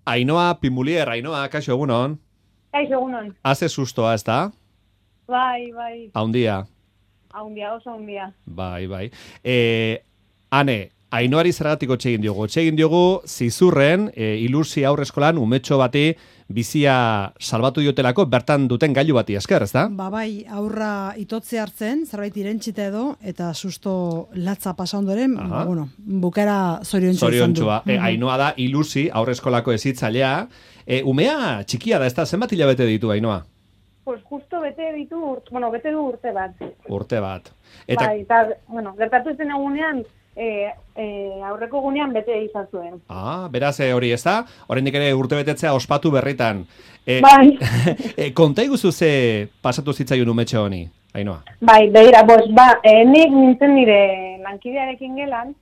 Ainhoa Pimulier, Ainhoa, kaixo egunon. Kaixo egunon. Haze sustoa, ez da? Bai. Haundia. Haundia, oso haundia. Bai. Ane, Ainhoari zergatik egin diogu zizurren, ilusi aurreskolan umetxo bati bizia salbatu diotelako bertan duten gailu bati esker, ez da? Bai, aurra itotze hartzen, zerbait irentsita edo, eta susto latza pasa ondoren, bukera zoriontsua izan du. Ainhoa da ilusi aurreskolako hezitzailea. Umea txikia da, ez da? Zenbat hilabete ditu, Ainhoa? Pues justo bete du urte bat. Urte bat. Bai, eta, gertatu zen egunean, aurreko gunean bete izan zuen. Beraz hori ez da? Oraindik ere urte betetzea ospatu berritan. Bai. Konta iguzu ze pasatu zitzaion umetxe honi, Ainhoa? Bai, begira, nik nintzen nire lankidearekin gelan,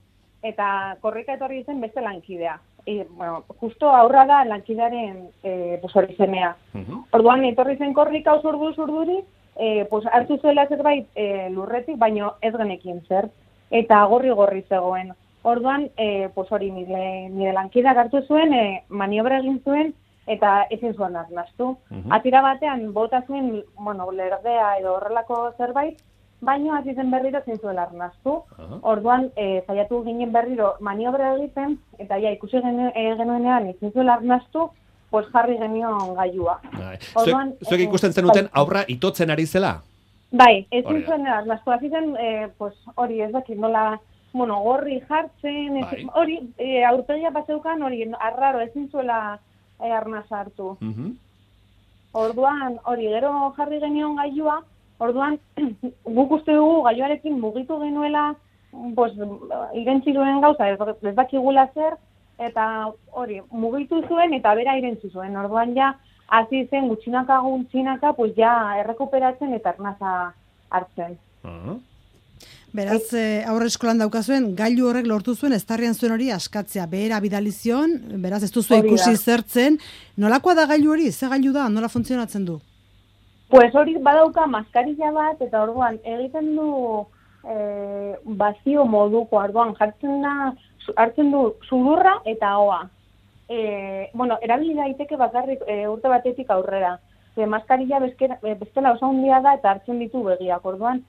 eta korrika etorri zen beste lankidea. Justo aurra da lankidearen hori semea. Orduan, etorri zen korrika urduri, hartu zuela zerbait lurretik, baino ez genekin zer. Eta gorri zegoen. Orduan, hori nire lankideak hartu zuen, maniobra egin zuen, eta ezin zuen arnastu. Atira batean, bota zuen, lerdea edo horrelako zerbait, baino hasi zen berriro ezin zuela arnastu. Orduan, saiatu ginen berriro maniobra egiten, eta ikusi genuenean ezin zuela arnastu, jarri genion gailua. Zuek ikusten zenuten aurra itotzen ari zela? Bai, ezin zuen arnastu. Hasi zen, hori ez dakit nola, gorri jartzen, hori, aurpegia paseukan, hori, arraro, ezin zuela arnaz hartu. Orduan, hori, gero jarri genion gailua, orduan, guk uste dugu gailuarekin mugitu genuela, irentzi duen gauza, ez dakigula zer, eta hori, mugitu zuen eta bera irentzi zuen. Orduan ja, hasi zen gutxinaka, errekuperatzen eta arnaza hartzen. Beraz, aurre eskolan daukazuen, gailu horrek lortu zuen, eztarrian zuen hori askatzea, behera bidalizion, beraz ez duzu ikusi zertzen. Nolakoa da gailu hori? Ze gailu da? Nola funtzionatzen du? Pues hori badauka maskarilla bat, eta orduan egiten du bazio moduko, orduan hartzen du sudurra eta hoa. Erabili daiteke bakarrik urte batetik aurrera. Maskarilla bestela oso handia da eta hartzen ditu begiak, orduan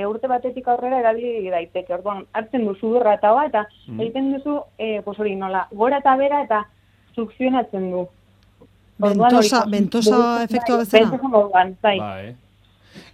urte batetik aurrera erabili daiteke. Orduan hartzen du sudurra eta hoa, eta egiten duzu hori nola, gora eta bera eta sukzionatzen du. Bentosa efektua bezala? Bai.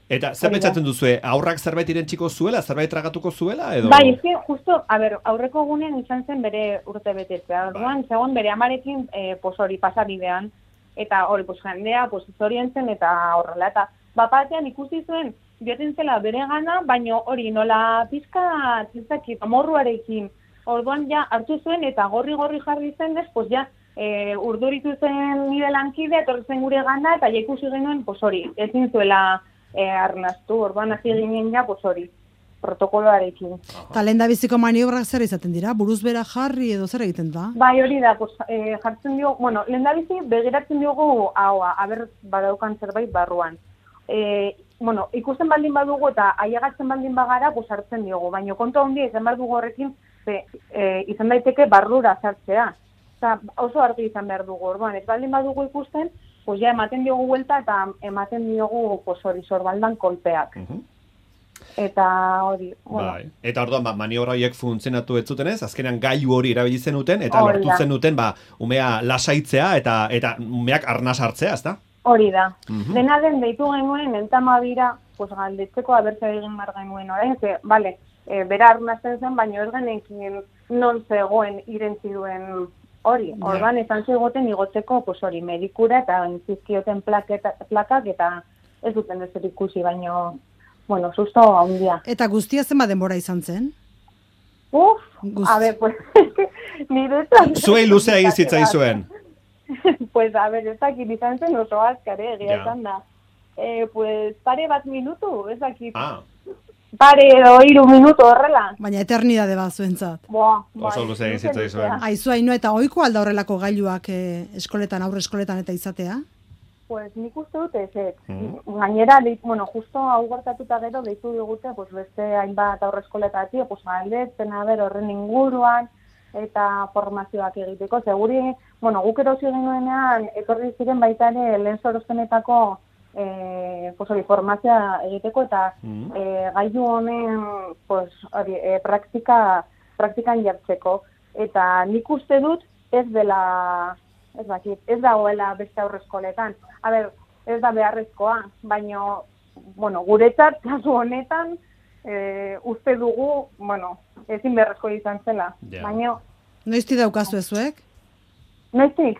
Eta zer pentsatzen duzue, aurrak zerbait irentsiko zuela, zerbait tragatuko zuela, edo? Bai, justo, aurreko gunean izan zen bere urte betetzea. Orduan, zegoen bere amarekin hori pasabidean, eta hori jendea zorientzen eta horrela. Eta bapatean ikusi zuen, bioten zela bere gana, baino hori nola pizka tizakit, amorruarekin. Orduan ja hartu zuen eta gorri jarri zen ez, urduritu zen nire lankide, etorri zen gure gana, eta ja ikusi genuen, hori, ezin zuela arnastu, orduan hasi ginen ja, hori, protokoloarekin. Eta lehendabiziko maniobrak zer izaten dira? Buruz bera jarri edo zer egiten da? Bai, hori da, jartzen diogu, lehendabizi begiratzen diogu haua, aber badaukan zerbait barruan. Ikusten baldin badugu eta aiagatzen baldin bagara, hartzen diogu, baina kontu handia izan behar dugu horrekin, izan daiteke barrura sartzea. Eta oso argi izan behar dugu, orduan, ez baldin badugu ikusten, ja ematen diogu huelta eta ematen diogu hori sorbaldan kolpeak. Eta hori, Eta orduan, maniobra horiek funtzionatu ez zutenez, azkenean gailu hori erabili zenuten, eta lortu zenuten, umea lasaitzea eta umeak arnaz hartzea, ezta? Hori da. Dena den deitu genuen, entamabira, galdetzeko abertza egin mar genuen orain, bera arnazten zen, baina ez genekin non zegoen irentzi duen hori. Orduan, esan zegoten igotzeko, hori, medikura eta zizkioten plakak eta ez duten ez ikusi, baina, susto handia. Eta guztia zenba denbora izan zen? Nire zuei luzea egin zitzaizuen. Ez dakit izan zen oso azkare, egia esan da. Pare bat minutu, ez dakit. Pare edo 3 minutu horrela. Baina eternidade bat zuentzat. Oso luzea egin zitzaizuen. Aizu, Ainhoa, eta ohiko alda horrelako gailuak eskoletan, aurre eskoletan eta izatea? Nik uste dut ez. Gainera, justo hau gertatuta gero, deitu digute, beste hainbat aurre eskoletatik, galdetzen, horren inguruan, eta formazioak egiteko. Seguri, bueno, guk erosi genuenean, etorri ziren baita ere lehen sorospenetako formazioa egiteko eta gailu honen praktikan jartzeko. Eta nik uste dut ez dagoela beste aurreskoletan. A ber, ez da beharrezkoa, baina, bueno, guretzat, kasu honetan, uste dugu, bueno, ezin beharrezko izan zela. Yeah. Baina... Noizti daukazu ezuek? Noiztik?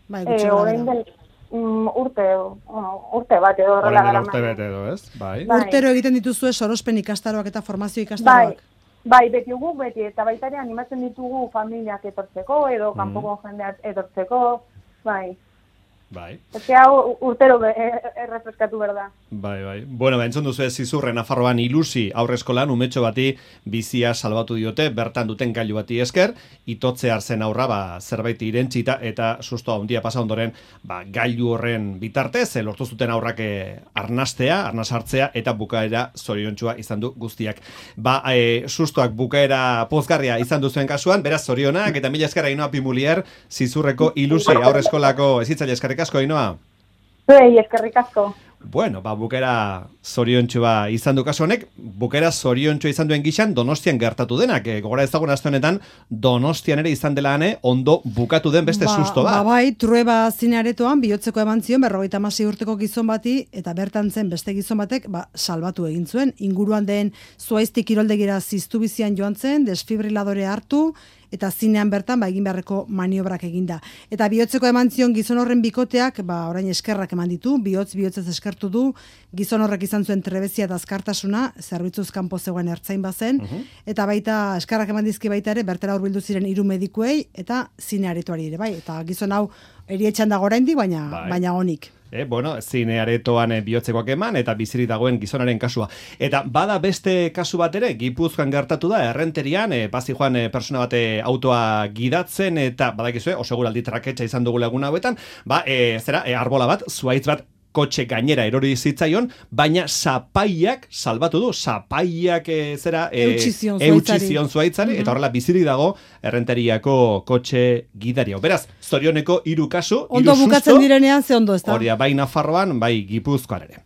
Bai, gutxi gara. Urte bat edo horrela gara. Urte bat edo, ez? Bai. Urtero egiten dituzue sorospen ikastaroak eta formazio ikastaroak. Bai, beti eta baita ere animatzen ditugu familiak etortzeko edo kanpoko jendeak etortzeko, bai. Bai. Ez hau urtero errefreskatu berda. Bai. Bueno, entzun duzu ez Zizurre Nafarroan Ilusi aurreskolan umetxo bati bizia salbatu diote, bertan duten gailu bati esker, itotze arzen aurra zerbait irentzita eta susto handia pasa ondoren gailu horren bitartez, lortu zuten aurrak arnas hartzea eta bukaera zoriontsua izan du guztiak. Sustoak bukaera pozgarria izan duzuen kasuan, beraz zorionak eta mila esker Ainhoa Pimulier, Zizurreko Ilusi aurreskolako ezitzaile eskerrik asko, Ainhoa. Eskerrik asko. Bueno, bukaera zoriontsua izan du kasu honek, bukaera zoriontsua izan duen gixan Donostian gertatu denak. Gogora ezagun aste honetan Donostian ere izan dela ondo bukatu den beste susto bat. Bai, Trueba zinearetoan bihotzeko eman zion 56 urteko gizon bati eta bertan zen beste gizon batek salbatu egin zuen. Inguruan den Zuaizti kiroldegira ziztu bizian joan zen, desfibriladore hartu eta zinean bertan egin beharreko maniobrak eginda. Eta bihotzeko eman zion gizon horren bikoteak, orain eskerrak eman ditu, bihotzez eskertu du, gizon horrek izan zuen trebezia eta azkartasuna, zerbitzuz kanpo zegoen ertzain bazen, eta baita eskerrak eman dizki baita ere, bertera hurbildu ziren 3 medikuei, eta zinearetoari ere, bai, eta gizon hau erietxan dago oraindik, baina onik. Zine aretoan bihotzekoak eman eta bizirik dagoen gizonaren kasua. Eta bada beste kasu bat ere, Gipuzkoan gertatu da, Errenterian, Pazijoan persona bate autoa gidatzen eta badakizue, oseguraldi traketxa izan dugu egun hauetan, arbola bat, zuaitz bat, kotxe gainera erori zitzaion, baina zapaiak salbatu du, zapaiak eutxizion zuaitzari, eta horrela bizirik dago Errenteriako kotxe gidaria. Beraz, zorioneko 3 kasu, 3 susto, ondo bukatzen direnean ze ondo ez da. Horia, bai Nafarroan, bai Gipuzkoan ere.